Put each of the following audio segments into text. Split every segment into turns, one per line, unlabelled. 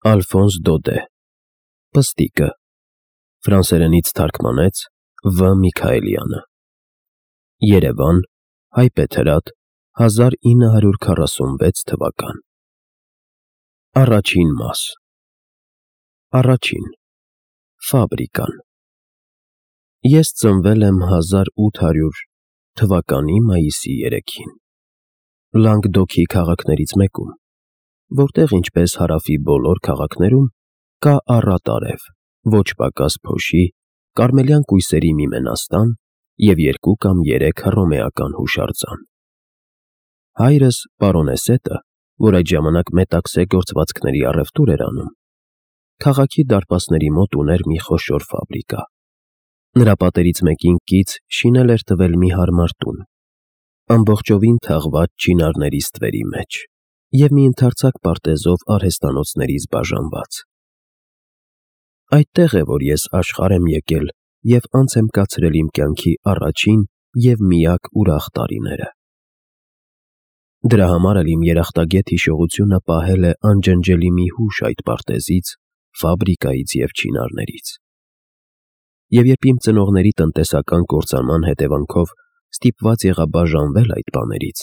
Ալֆոնս Դոդե Պստիկը Ֆրանսերենից թարգմանեց Վ. Միքայելյանը Երևան Հայպեթրատ 1946 թվական Առաջին մաս Առաջին Ֆաբրիկան Ես ծնվել եմ 1800 թվականի մայիսի 3-ին Լանգդոքի քաղաքներից մեկում, որտեղ ինչպես հարավի բոլոր քաղաքներում կա առատ արև, ոչ պակաս փոշի, կարմելյան կույսերի մի մենաստան և 2 կամ 3 հռոմեական հուշարձան։ Հայրս պարոնեսետը, որ այդ ժամանակ մետաքսե գործվածքների առևտուր էր անում, քաղաքի դարպասների մոտ ուներ մի խոշոր ֆաբրիկա։ Նրա պատերից մեկին կից շինել էր տվել մի հարմար տուն, ամբողջովին թաղված չինարների ստվերի մեջ և մի ընդարձակ պարտեզով արհեստանոցներից բաժանված։ Այդտեղ է, որ ես աշխարհ եմ եկել և անց եմ կացրել իմ կյանքի առաջին և միակ ուրախ տարիները։ Դրա համար էլ իմ երախտագետ հիշողությունը պահել է անջնջելի մի հուշ այդ պարտեզից, ֆաբրիկայից և չինարներից։ Եվ երբ իմ ծնողների տնտեսական կործանման հետևանքով ստիպված եղա բաժանվել այդ բաներից,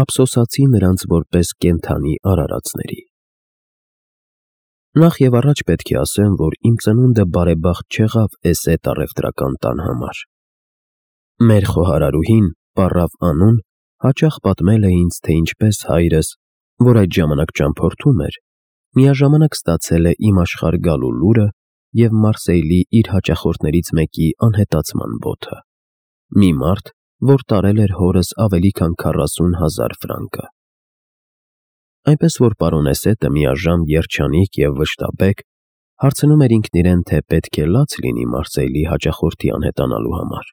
ափսոսացի նրանց որպես կենդանի արարածների։ Նախ և առաջ պետք է ասեմ, որ իմ ծնունդը բարեբախտ չեղավ էս էդ առևտրական տան համար։ Մեր խոհարարուհին, պառավ Անուն, հաճախ պատմել է ինձ, թե ինչպես հայրս, որ այդ ժամանակ ճամփորդում էր, միաժամանակ ստացել է իմ աշխարհ գալու լուրը և Մարսեյլի իր հաճախորդներից մեկի անհետացման բոթը, մի մարդ, որ տարել էր հորս ավելի քան 40,000 ֆրանկը։ Այնպես որ պարոնեսետը միաժամ երջանիկ և վշտաբեկ հարցնում էր ինքն իրեն, թե պետք է լաց լինի Մարսեյլի հաճախորդի անհետանալու համար,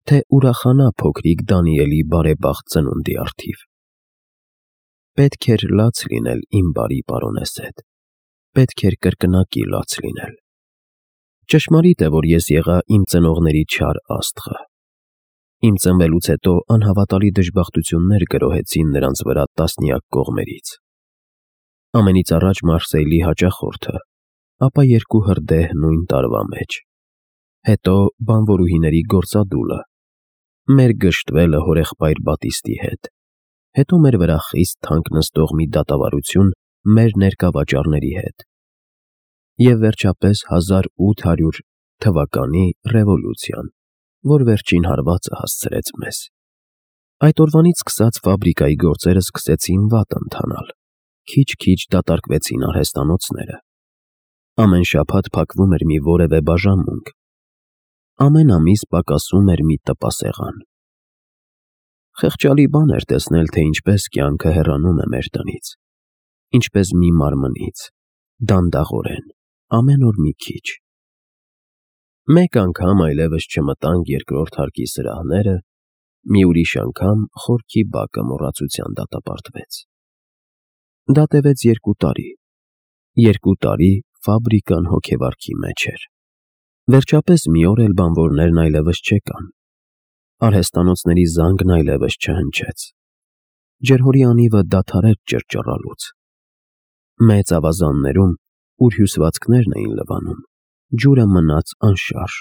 թե ուրախանա փոքրիկ Դանիելի բարեբախտ ծնունդի առթիվ։ Պետք էր լաց լինել, իմ բարի պարոնեսետ, պետք էր կրկնակի լաց լինել։ Ճշմարիտ է, որ ես եղա իմ ծնողների չար աստղը։ Իմ ծնվելուց հետո անհավատալի դժբախտություններ գրոհեցին նրանց վրա տասնյակ կողմերից։ Ամենից առաջ Մարսեյլի հաճախորդը, ապա 2 հրդեհ նույն տարվա մեջ, հետո բանվորուհիների գործադուլը, մեր գժտվելը հորեղբայր Բատիստի հետ, հետո մեր վրա խիստ թանկ նստող մի դատավարություն մեր ներկա վաճառների հետ և վերջապես 1800 թվականի ռևոլյուցիան, որ վերջին հարվածը հասցրեց մեզ։ Այդ օրվանից սկսած ֆաբրիկայի գործերը սկսեցին վատ ընթանալ, քիչ-քիչ դատարկվեցին արհեստանոցները։ Ամեն շաբաթ փակվում էր մի որևէ բաժանմունք, ամեն ամիս պակասում էր մի տպասեղան։ Խեղճալի բան էր տեսնել, թե ինչպես կյանքը հեռանում է մեր տնից, ինչպես մի մարմնից, դանդաղորեն, ամեն օր մի քիչ։ Մեկ անգամ այլևս չմտանք երկրորդ հարկի սրահները, մի ուրիշ անգամ խորքի բակը մոռացության դատապարտվեց։ Դա տևեց 2 տարի։ 2 տարի ֆաբրիկան հոգեվարքի մեջ էր։ Վերջապես մի օր էլ բանվորներն այլևս չեկան։ Արհեստանոցների զանգն այլևս չհնչեց։ Ջրհորի անիվը դադարեց ճռճռալուց։ Մեծ ավազաններում, ուր հյուսվածքներն էին լվանում, ջուրը մնաց անշարժ,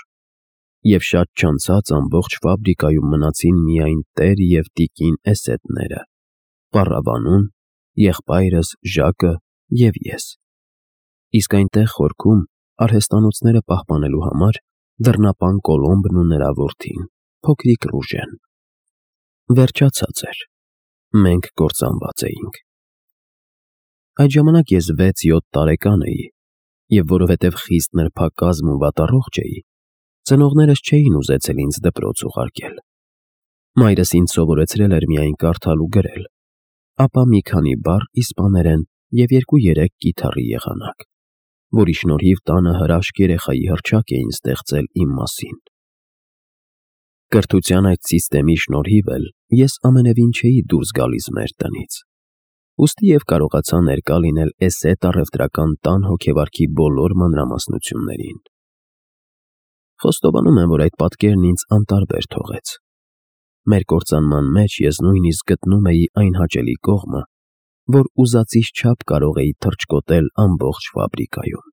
և շատ չանցած ամբողջ ֆաբրիկայում մնացին միայն տեր և տիկին էսեդները, պառավ Անուն, եղբայրս Ժակը և ես։ Իսկ այնտեղ խորքում, արհեստանոցները պահպանելու համար, դռնապան Կոլոմբն ու նրա որդին, փոքրիկ Ռուժեն։ Վերջացած էր։ Մենք կործանված էինք։ Այդ ժամանակ ես 6-7 տարեկան էի, և որովհետև խիստ նրբակազմ ու վատառողջ էի, ծնողներս չէին ուզեցել ինձ դպրոց ուղարկել։ Մայրս ինձ սովորեցրել էր միայն կարդալ ու գրել, ապա մի քանի բառ իսպաներեն և 2-3 կիթառի եղանակ, որի շնորհիվ տանը հրաշք երեխայի հռչակ էին ստեղծել իմ մասին։ Կրթության այդ սիստեմի շնորհիվ էլ ես ամենևին չէի դուրս գալիս մեր տնից, ուստի և կարողացա ներկա լինել էս էդ առևտրական տան հոգեվարքի բոլոր մանրամասնություններին։ Խոստովանում եմ, որ այդ պատկերն ինձ անտարբեր թողեց։ Մեր կործանման մեջ ես նույնիսկ գտնում էի այն հաճելի կողմը, որ ուզածից չափ կարող էի թռչկոտել ամբողջ ֆաբրիկայում։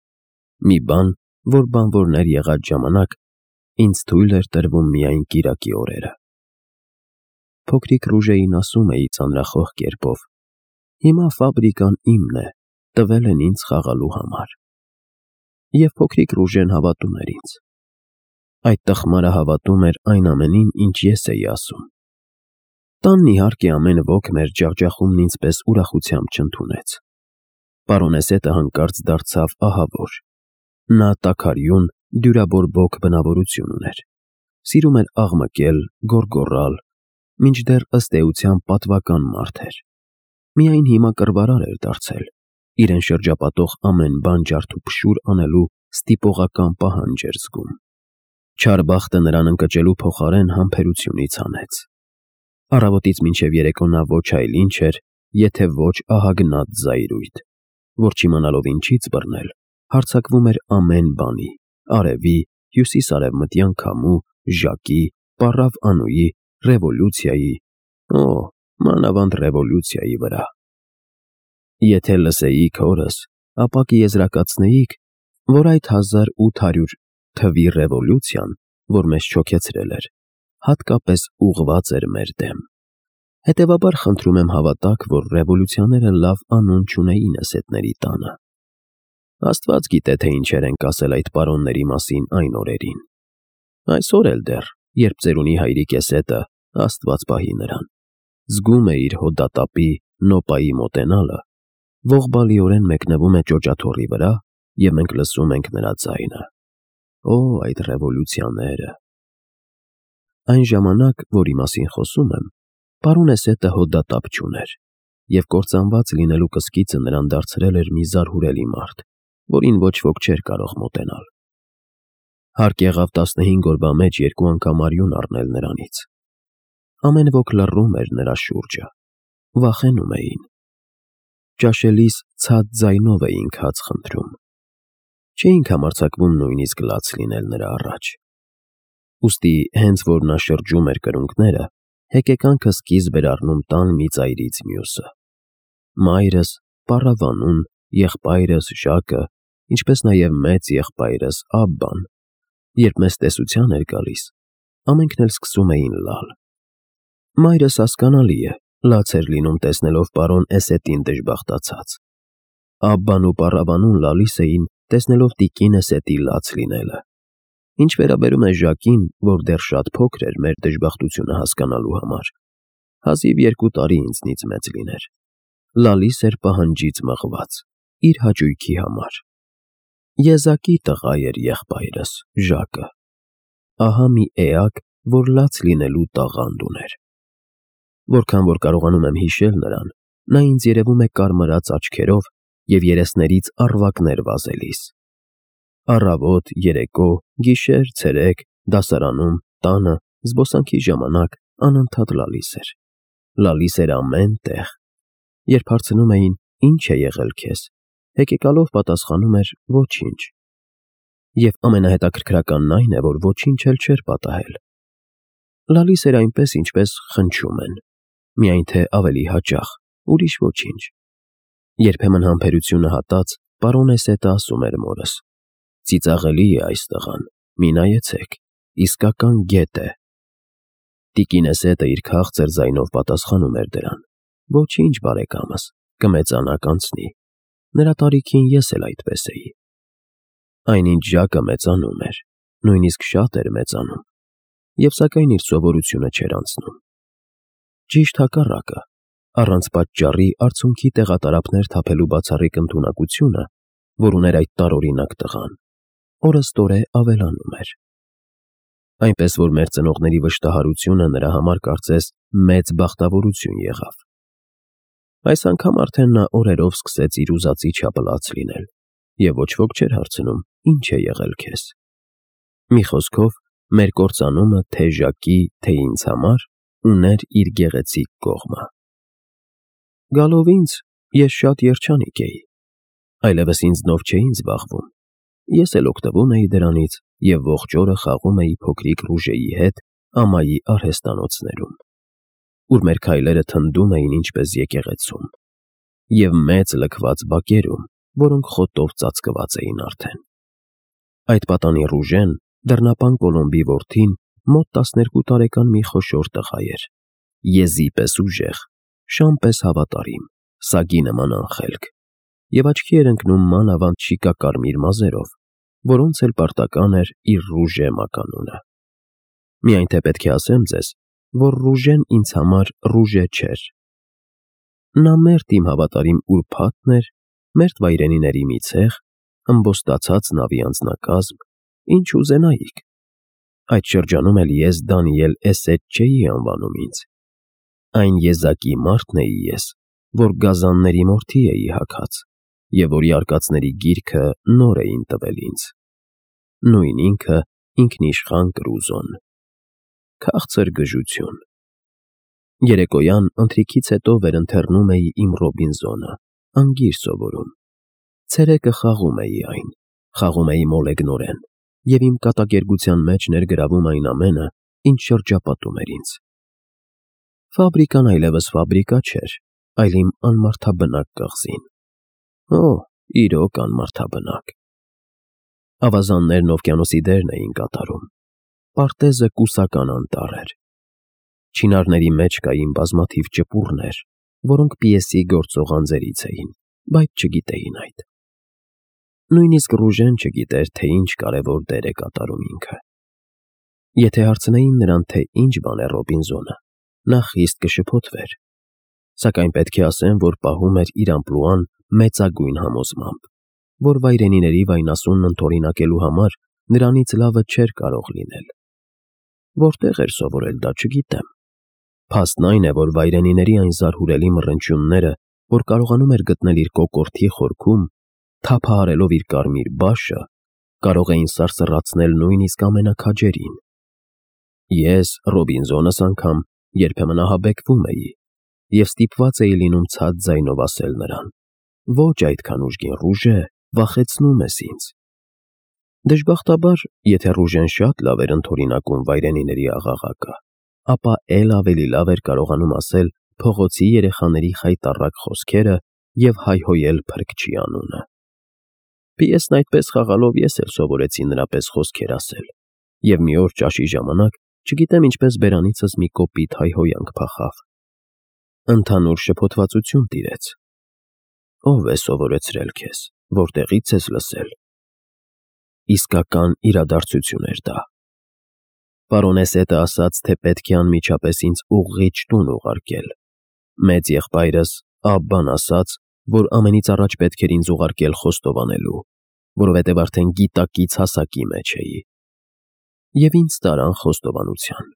Մի բան, որ բանվորներ եղած ժամանակ ինձ թույլ էր տրվում միայն կիրակի օրերը։ Փոքրիկ Ռուժեին ասում էի ծանրախոհ կերպով. «Հիմա ֆաբրիկան իմն է, տվել են ինձ խաղալու համար»։ Եվ փոքրիկ Ռուժեն հավատում էր ինձ։ Այդ տխմարը հավատում էր այն ամենին, ինչ ես էի ասում։ Տանն իհարկե ամեն ոք մեր ջախջախումն ինձպես ուրախությամբ չընդունեց։ Պարոնեսետը հանկարծ դարձավ ահավոր։ Նա տաքարյուն, դյուրաբորբոք բնավորություն ուներ։ Սիրում էր աղմկել, գոռգոռալ, մինչդեռ ըստ էության պատվական մարդ էր։ Միայն հիմա կռվարար էր դարձել, իրեն շրջապատող ամեն բան ջարդուփշուր անելու ստիպողական պահանջ էր զգում։ Չար բախտը նրան ընկճելու փոխարեն համբերությունից հանեց։ Առավոտից մինչև երեկո նա ոչ այլ ինչ էր, եթե ոչ ահագնած զայրույթ, որ չիմանալով ինչից բռնել, հարձակվում էր ամեն բանի՝ արևի, հյուսիս-արևմտյան քամու, ժակի, պառավ Անուի, ռևոլյուցիայի, մանավանդ ռևոլյուցիայի վրա։ Եթե լսեիք հորս, ապա կեզրակացնեիք, որ այդ 1800 թվի ռևոլյուցիան, որ մեզ չոքեցրել էր, հատկապես ուղղված էր մեր դեմ։ Հետևաբար խնդրում եմ հավատաք, որ ռևոլյուցիաները լավ անուն չունեին էսետների տանը։ Աստված գիտե, թե ինչեր են ասել այդ պարոնների մասին այն օրերին։ Այսօր էլ դեռ, երբ ծերունի հայրիկ էսետը, Աստված պահի նրան, զգում է իր հոդատապի նոպայի մոտենալը, ողբալիորեն մեկնվում է ճոճաթոռի վրա, և մենք լսում ենք նրա ձայնը։ Այդ ռևոլյուցիաները։ Այն ժամանակ, որի մասին խոսում եմ, պարոնեսետը հոդատապ չուներ, և կործանված լինելու կսկիծը նրան դարձրել էր մի զարհուրելի մարդ, որին ոչ ոք չէր կարող մոտենալ։ Հարկ եղավ 15 օրվա մեջ 2 անգամ արյուն առնել նրանից։ Ամեն ոք լռում էր նրա շուրջը, վախենում էին։ Ճաշելիս ցած ձայնով էինք հաց խնդրում։ Չէինք համարձակվում նույնիսկ լաց լինել նրա առաջ։ Ուստի հենց որ նա շրջում էր կրունկները, հեկեկանքը սկիզբ էր առնում տան մի ծայրից մյուսը։ Մայրս, պառավ Անուն, եղբայրս Ժակը, ինչպես նաև մեծ եղբայրս Աբբան, երբ մեզ տեսության էր գալիս, ամենքն էլ սկսում էին լալ։ Մայրս, հասկանալի է, լաց էր լինում տեսնելով պարոն Էսետին դժբախտացած։ Աբբան ու պառավ Անուն լալիս էին, տեսնելով տիկին Էսետի լաց լինելը։ Ինչ վերաբերում է Ժակին, որ դեռ շատ փոքր էր մեր դժբախտությունը հասկանալու համար, հազիվ 2 տարի ինձնից մեծ լիներ, լալիս էր պահանջից մղված, իր հաճույքի համար։ Եզակի տղա էր եղբայրս, Ժակը։ Ահա մի էակ, որ լաց լինելու տաղանդ ուներ։ Որքան որ կարողանում եմ հիշել նրան, նա ինձ երևում է կարմրած աչքերով և երեսներից առվակներ վազելիս։ Առավոտ, երեկո, գիշեր, ցերեկ, դասարանում, տանը, զբոսանքի ժամանակ անընդհատ լալիս էր։ Լալիս էր ամեն տեղ։ Երբ հարցնում էին. «Ինչ է եղել քեզ», հեկեկալով պատասխանում էր. «Ոչինչ»։ Եվ ամենահետաքրքրականն այն է, որ ոչինչ էլ չէր պատահել։ Լալիս էր այնպես, ինչպես խնչում են, միայն թե ավելի հաճախ, ուրիշ ոչինչ։ Երբեմն համբերությունը հատած, պարոն Էսետը ասում էր մորս. «Ծիծաղելի է այս տղան, մի նայեցեք, իսկական գետ է»։ Տիկին Էսետը իր քաղցր ձայնով պատասխանում էր դրան. «Ոչինչ, բարեկամս, կմեծանա կանցնի, նրա տարիքին ես էլ այդպես էի»։ Այնինչ Ժակը մեծանում էր, նույնիսկ շատ էր մեծանում, և սակայն իր սովորությունը չէր անցնում։ Ճիշտ հակառակը, առանց պատճառի արցունքի տեղատարափներ թափելու բացառիկ ընդունակությունը, որ ուներ այդ տարօրինակ տղան, օրըստօրե ավելանում էր։ Այնպես որ մեր ծնողների վշտահարությունը նրա համար կարծես մեծ բախտավորություն եղավ։ Այս անգամ արդեն նա օրերով սկսեց իր ուզածի չափը լաց լինել, և ոչ ոք չէր հարցնում. «Ինչ է եղել քեզ»։ Մի խոսքով, մեր կործանումը թե Ժակի, թե ինձ համար ուներ իր գեղեցիկ կողմը։ Գալով ինձ, ես շատ երջանիկ էի։ Այլևս ինձնով չէին զբաղվում։ Ես էլ օգտվում էի դրանից և ողջ օրը խաղում էի փոքրիկ Ռուժեի հետ ամայի արհեստանոցներում, ուր մեր քայլերը թնդում էին ինչպես եկեղեցում։ և մեծ լքված բակերում, որոնք խոտով ծածկված էին արդեն։ Այդ պատանի Ռուժեն, դռնապան Կոլոմբի որդին, մոտ 12 տարեկան մի խոշոր տղա էր, եզի պես ուժեղ, շան պես հավատարիմ, սագի նման անխելք, և աչքի էր ընկնում մանավանդ շիկակարմիր մազերով, որոնց էլ պարտական էր իր Ռուժե մականունը։ Միայն թե պետք է ասեմ ձեզ, որ Ռուժեն ինձ համար Ռուժե չէր։ Նա մերթ իմ հավատարիմ ուրբաթն էր, մերթ վայրենիների մի ցեղ, ըմբոստացած նավի անձնակազմ, ինչ ուզենայիք։ Այդ շրջանում էլ ես Դանիել Էսետ չէի անվանում ինձ։ Այն եզակի մարդն էի ես, որ գազանների մորթի էի հագած, և որի արկածների գիրքը նոր էին տվել ինձ։ Նույն ինքը ինքնիշխան Կրուզոն։ Քաղցր գժություն։ Երեկոյան ընթրիքից հետո վերընթեռնում էի իմ Ռոբինզոնը, անգիր սովորում։ Ցերեկը խաղում էի այն, խաղում էի մոլեգնորեն, և իմ կատակերգության մեջ ներգրավում այն ամենը, ինչ շրջապատում էր ինձ։ Ֆաբրիկան այլևս ֆաբրիկա չէր, այլ իմ անմարդաբնակ կղզին։ Օ, իրոք անմարդաբնակ։ Ավազաններն օվկիանոսի դերն էին կատարում։ Պարտեզը կուսական անտառ էր։ Չինարների մեջ կային բազմաթիվ ճպուռներ, որոնք պիեսի գործող անձերից էին, բայց չգիտեին այդ։ Նույնիսկ Ռուժեն չգիտեր, թե ինչ կարևոր դեր է կատարում ինքը։ Եթե հարցնեին նրան, թե ինչ բան է Ռոբինզոնը, նա խիստ կշփոթվեր, սակայն պետք է ասեմ, որ պահում էր իր ամպլուան մեծագույն համոզմամբ, որ վայրենիների վայնասունն ընդօրինակելու համար նրանից լավը չէր կարող լինել։ Որտեղ էր սովորել դա, չգիտեմ։ Փաստն այն է, որ վայրենիների այն զարհուրելի մռնչյունները, որ կարողանում էր գտնել իր կոկորդի խորքում, թափահարելով իր կարմիր բաշը, կարող էին սարսռացնել նույնիսկ ամենաքաջերին։ Ես, Ռոբինզոնս անգամ, երբեմն ահաբեկվում էի և ստիպված էի լինում ցած ձայնով ասել նրան. «Ոչ այդքան ուժգին, Ռուժե, վախեցնում ես ինձ»։ Դժբախտաբար, եթե Ռուժեն շատ լավ էր ընդօրինակում վայրենիների աղաղակը, ապա էլ ավելի լավ էր կարողանում ասել փողոցի երեխաների խայտառակ խոսքերը և հայհոյել Փրկչի անունը։ Պիեսն այդպես խաղալով ես էլ սովորեցի նրա պես խոսքեր ասել, և մի օր ճաշի ժամանակ, չգիտեմ ինչպես բերանիցս մի կոպիտ հայհոյանք փախավ։ Ընդհանուր շփոթվածություն տիրեց։ Ո՞վ է սովորեցրել քեզ, որտեղի՞ց ես լսել։ Իսկական իրադարձություն էր դա։ Պարոնեսետը ասաց, թե պետք է անմիջապես ինձ ուղղիչ տուն ուղարկել։ Մեծ եղբայրս Աբբան ասաց, որ ամենից առաջ պետք էր ինձ ուղարկել խոստովանելու, որովհետև արդեն գիտակից հասակի մեջ էի։ Եվ ինձ տարան խոստովանության։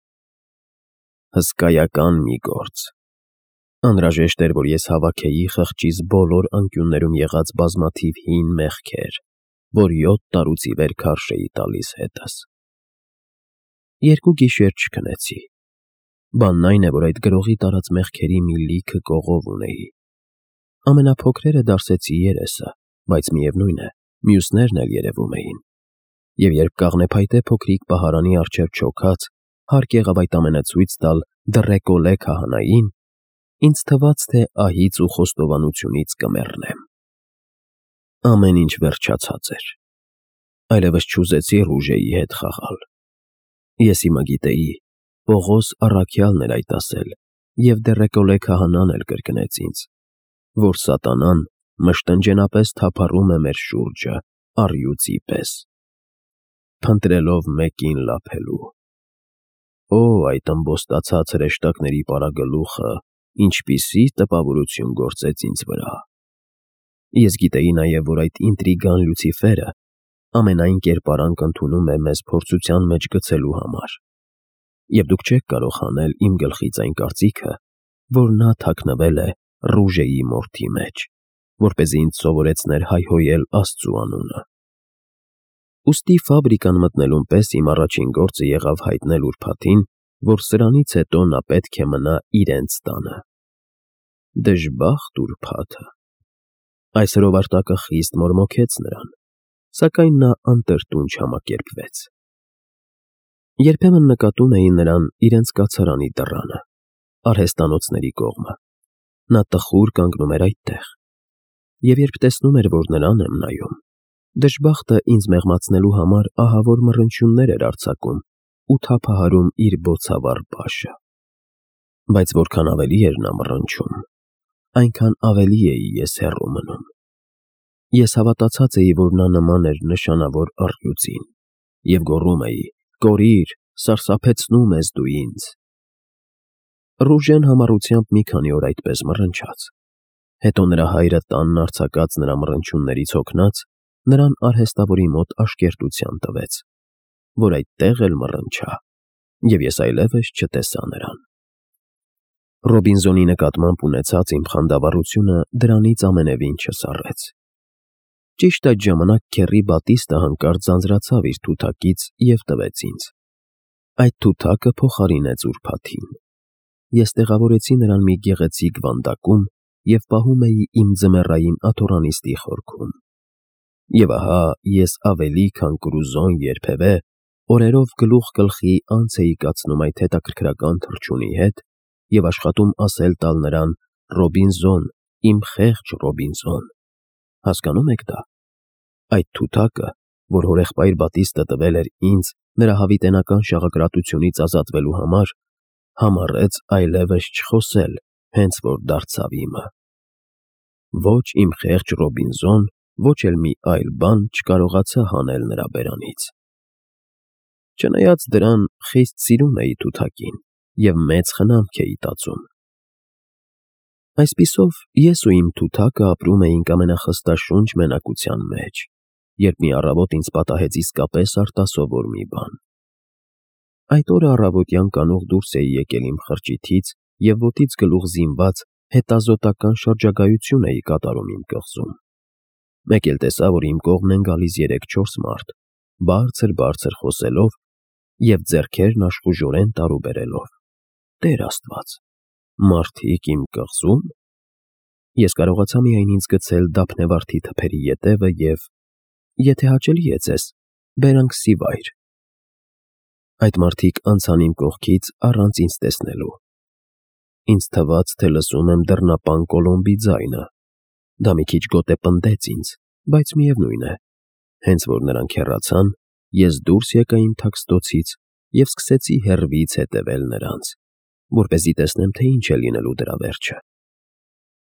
Հսկայական մի գործ։ Անհրաժեշտ էր, որ ես հավաքեի խղճիս բոլոր անկյուններում եղած բազմաթիվ հին մեղքեր, որ 7 տարուց ի վեր քարշ էի տալիս հետս։ 2 գիշեր չքնեցի։ Բանն այն է, որ այդ գրողի տարած մեղքերի մի լիքը կողով ունեի։ Ամենափոքրերը դարսեցի երեսը, բայց միևնույն է, մյուսներն էլ երևում էին։ Եվ երբ կաղնեփայտե փոքրիկ պահարանի առջև չոքած, հարկ եղավ այդ ամենը ցույց տալ Դռեկոլե քահանային, ինձ թվաց, թե ահից ու խոստովանությունից կմեռնեմ։ Ամեն ինչ վերջացած էր։ Այլևս չուզեցի Ռուժեի հետ խաղալ։ Ես հիմա գիտեի, Պողոս առաքյալն էր այդ ասել, և Դռեկոլե քահանան էլ կրկնեց ինձ, որ սատանան մշտնջենապես թափառում է մեր շուրջը առյուծի պես, փնտրելով մեկին լափելու։ Օ, այդ ըմբոստացած հրեշտակների պարագլուխը ինչպիսի տպավորություն գործեց ինձ վրա։ Ես գիտեի նաև, որ այդ ինտրիգան Լյուցիֆերը ամենայն կերպարանք ընդունում է մեզ փորձության մեջ գցելու համար, և դուք չեք կարող հանել իմ գլխից այն կարծիքը, որ նա թաքնվել է Ռուժեի մորթի մեջ, որպեսզի ինձ սովորեցներ հայհոյել Աստծու անունը։ Ուստի ֆաբրիկան մտնելուն պես իմ առաջին գործը եղավ հայտնել ուրբաթին, որ սրանից հետո նա պետք է մնա իրենց տանը։ Դժբախտ ուրբաթը։ Այս հրովարտակը խիստ մորմոքեց նրան, սակայն նա անտրտուն չհամակերպվեց։ Երբեմն նկատում էի նրան իրենց կացարանի դռանը, արհեստանոցների կողմը։ Նա տխուր կանգնում էր այդտեղ, Եվ երբ տեսնում էր, որ նրան եմ նայում, դժբախտը ինձ մեղմացնելու համար ահավոր մռնչյուններ էր արձակում ու թափահարում իր բոցավառ բաշը։ Բայց որքան ավելի էր նա մռնչում, այնքան ավելի էի ես հեռու մնում։ Ես հավատացած էի, որ նա նման էր նշանավոր առյուծին, և գոռում էի. «Կորիր, սարսափեցնում ես դու ինձ»։ Ռուժեն համառությամբ մի քանի օր այդպես մռնչաց։ Հետո նրա հայրը տանն արձակած նրա մռնչյուններից հոգնած, նրան արհեստավորի մոտ աշկերտության տվեց, որ այդտեղ էլ մռնչա, և ես այլևս չտեսա նրան։ Ռոբինզոնի նկատմամբ ունեցած իմ խանդավառությունը դրանից ամենևին չսառեց։ Ճիշտ այդ ժամանակ քեռի Բատիստը հանկարծ ձանձրացավ իր թութակից և տվեց ինձ։ Այդ թութակը փոխարինեց ուրբաթին։ Ես տեղավորեցի նրան մի գեղեցիկ վանդակում և պահում էի իմ ձմեռային աթոռանիստի խորքում։ Եվ ահա ես ավելի քան կրուզոն երբևէ օրերով գլուխ գլխի անց էի կացնում այդ հետաքրքրական թռչունի հետ և աշխատում ասել տալ նրան. «Ռոբինզոն, իմ խեղճ Ռոբինզոն»։ Հասկանո՞ւմ եք դա։ Այդ թութակը, որ հորեղբայր Բատիստը տվել էր ինձ նրա հավիտենական շաղակրատությունից ազատվելու համար, համառեց այլևս չխոսել, հենց որ դարձավ իմը։ Ոչ իմ խեղճ Ռոբինզոն, ոչ էլ մի այլ բան չկարողացա հանել նրա բերանից։ Չնայած դրան, խիստ սիրում էի թութակին և մեծ խնամք էի տածում։ Այսպիսով, ես ու իմ թութակը ապրում էինք ամենախստաշունչ մենակության մեջ, երբ մի առավոտ ինձ պատահեց իսկապես արտասովոր մի բան։ Այդ օրը առավոտյան կանուխ դուրս էի եկել իմ խրճիթից և ոտից գլուխ զինված հետազոտական շրջագայություն էի կատարում իմ կղզում։ Մեկ էլ տեսա, որ իմ կողմն են գալիս 3-4 մարդ, բարձր խոսելով և ձեռքերն աշխուժորեն տարուբերելով։ Տեր Աստված, մարդիկ իմ կղզու՞մ։ Ես կարողացա միայն ինձ գցել դափնեվարդի թփերի ետևը և, եթե հաճելի է ձեզ, բերանք սիվայր։ Այդ մարդիկ անցան իմ կողքից առանց ինձ տեսնելու։ Ինձ թվաց, թե լսում եմ դռնապան Կոլոմբի ձայնը։ Դա մի քիչ գոտեպնդեց ինձ, բայց միևնույն է, հենց որ նրանք հեռացան, ես դուրս եկա իմ թաքստոցից և սկսեցի հեռվից հետևել նրանց, որպեսզի տեսնեմ, թե ինչ է լինելու դրա վերջը։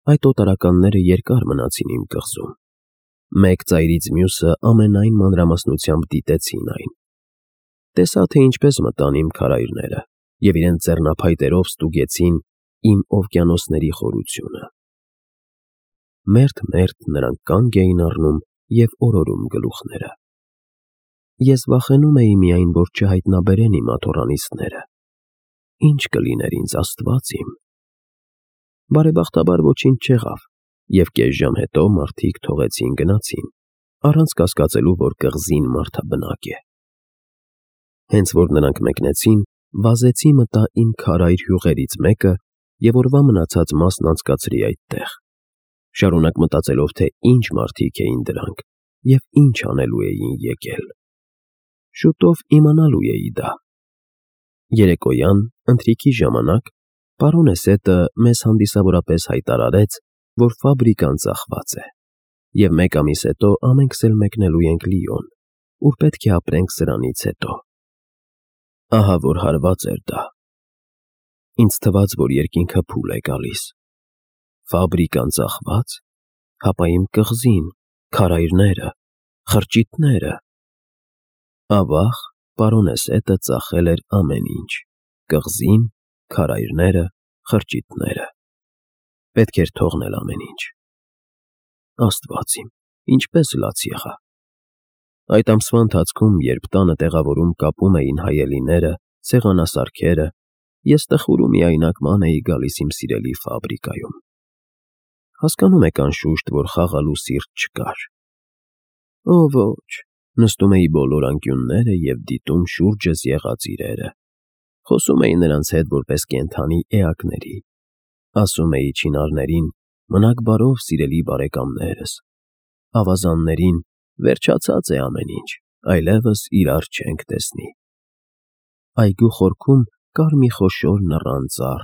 Այդ օտարականները երկար մնացին իմ կղզում։ Մեկ ծայրից մյուսը ամենայն մանրամասնությամբ դիտեցին այն։ Տեսա, թե ինչպես մտան իմ քարայրները և իրենց ձեռնափայտերով ստուգեցին իմ օվկիանոսների խորությունը։ Մերթ նրանք կանգ էին առնում և օրորում գլուխները։ Ես վախենում էի միայն, որ չհայտնաբերեն իմ աթոռանիստները։ Ինչ կլիներ ինձ, Աստված իմ։ Բարեբախտաբար ոչինչ չեղավ, և կես ժամ հետո մարդիկ թողեցին գնացին, առանց կասկածելու, որ կղզին մարդաբնակ է։ Հենց որ նրանք մեկնեցին, վազեցի մտա իմ քարայր հյուղերից մեկը և օրվա մնացած մասն անցկացրի այդտեղ, շարունակ մտածելով, թե ինչ մարդիկ էին դրանք և ինչ անելու էին եկել։ Շուտով իմանալու էի դա։ Երեկոյան, ընթրիքի ժամանակ, պարոն Էսետը մեզ հանդիսավորապես հայտարարեց, որ ֆաբրիկան ծախված է, և մեկ ամիս հետո ամենքս էլ մեկնելու ենք Լիոն, ուր պետք է ապրենք սրանից հետո։ Ահա որ հարված էր դա։ Ինձ թվաց, որ երկինքը փուլ է գալիս։ Ֆաբրիկան ծախված, հապա իմ կղզին, քարայրները, խրճիթները։ Ավաղ, պարոն Էսետը ծախել էր ամեն ինչ՝ կղզին, քարայրները, խրճիթները։ Պետք էր թողնել ամեն ինչ։ Աստված իմ, ինչպես լաց եղա։ Այդ ամսվա ընթացքում, երբ տանը տեղավորում կապում էին հայելիները, սեղանասարքերը, ես տխուր ու միայնակ ման էի գալիս իմ սիրելի ֆաբրիկայում։ Հասկանում եք, անշուշտ, որ խաղալու սիրտ չկար։ Օ ոչ, նստում էի բոլոր անկյունները և դիտում շուրջս եղած իրերը, խոսում էի նրանց հետ որպես կենդանի էակների, ասում էի չինարներին. «Մնաք բարով, սիրելի բարեկամներս», ավազաններին. «Վերջացած է ամեն ինչ, այլևս իրար չենք տեսնի»։ Այգու խորքում կար մի խոշոր նռան ծառ,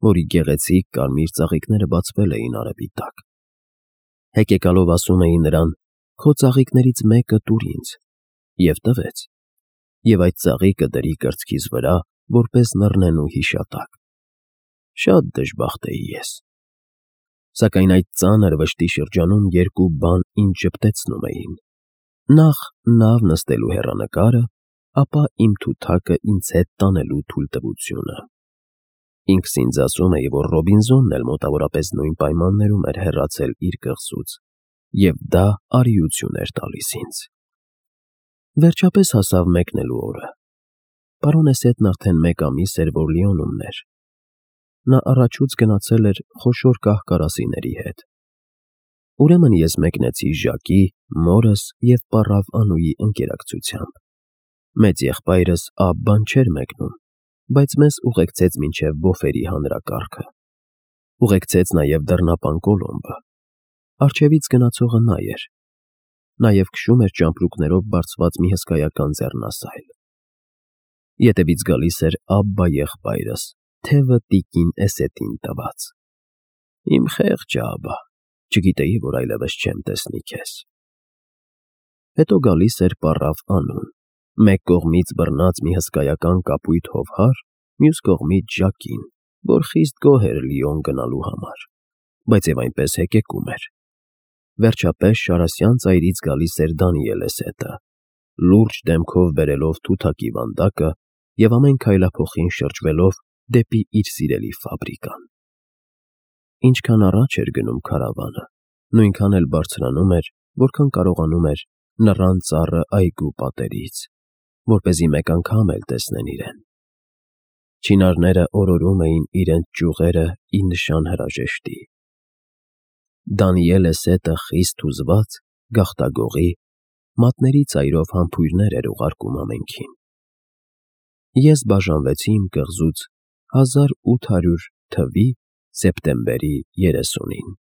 որի գեղեցիկ կարմիր ծաղիկները բացվել էին արևի տակ։ Հեկեկալով ասում էին նրան. «Քո ծաղիկներից մեկը տուր ինձ», և տվեց, և այդ ծաղիկը դրի կրծքիս վրա, որպես նռնենու հիշատակ։ Շատ դժբախտ էի ես։ Սակայն այդ ծանր վշտի շրջանում երկու բան ինձ ժպտեցնում էին. նախ նավ նստելու հեռանկարը, ապա իմ թութակը ինձ հետ տանելու թույլտվությունը։ Ինքս ինձ ասում էի, որ Ռոբինզոնն էլ մոտավորապես նույն պայմաններում էր հեռացել իր կղզուց, և դա արիություն էր տալիս ինձ։ Վերջապես հասավ մեկնելու օրը։ Պարոնեսետն արդեն 1 ամիս էր, որ Լիոնում էր։ Նա առաջուց գնացել էր խոշոր կահ֊կարասիների հետ։ Ուրեմն ես մեկնեցի Ժակի, մորս և պառավ Անուի ընկերակցությամբ։ Մեծ եղբայրս Աբբան չէր մեկնում, բայց մեզ ուղեկցեց մինչև Բոֆերի հանրակարգը։ Ուղեկցեց նաև դռնապան Կոլոմբը։ Առջևից գնացողը նա էր։ Նաև քշում էր ճամպրուկներով բարձված մի հսկայական ձեռնասայլ։ Ետևից գալիս էր Աբբա եղբայրս, թևը տիկին Էսետին տված։ Իմ խեղճ Աբբա, չգիտեի, որ այլևս չեմ տեսնի քեզ։ Հետո գալիս էր պառավ Անուն, մեկ կողմից բռնած մի հսկայական կապույտ հովհար, մյուս կողմից Ժակին, որ խիստ գոհ էր Լիոն գնալու համար, բայց և այնպես հեկեկում էր։ Վերջապես Շարասյան ծայրից գալիս էր Դանիել Էսետը, լուրջ դեմքով բերելով թութակի վանդակը և ամեն քայլափոխին շրջվելով դեպի իր սիրելի ֆաբրիկան։ Ինչքան առաջ էր գնում քարավանը, նույնքան էլ բարձրանում էր, որքան կարողանում էր նռան ծառը այգու պատերից, որպեսզի մեկ անգամ էլ տեսնեն իրեն։ Չինարները օրորում էին իրենց ճյուղերը ի նշան հրաժեշտի։ Դանիել Էսետը խիստ հուզված, գաղտագողի, մատների ծայրով համբույրներ էր ուղարկում ամենքին։ Ես բաժանվեցի իմ կղզուց 1800 թվականի սեպտեմբերի 30-ին։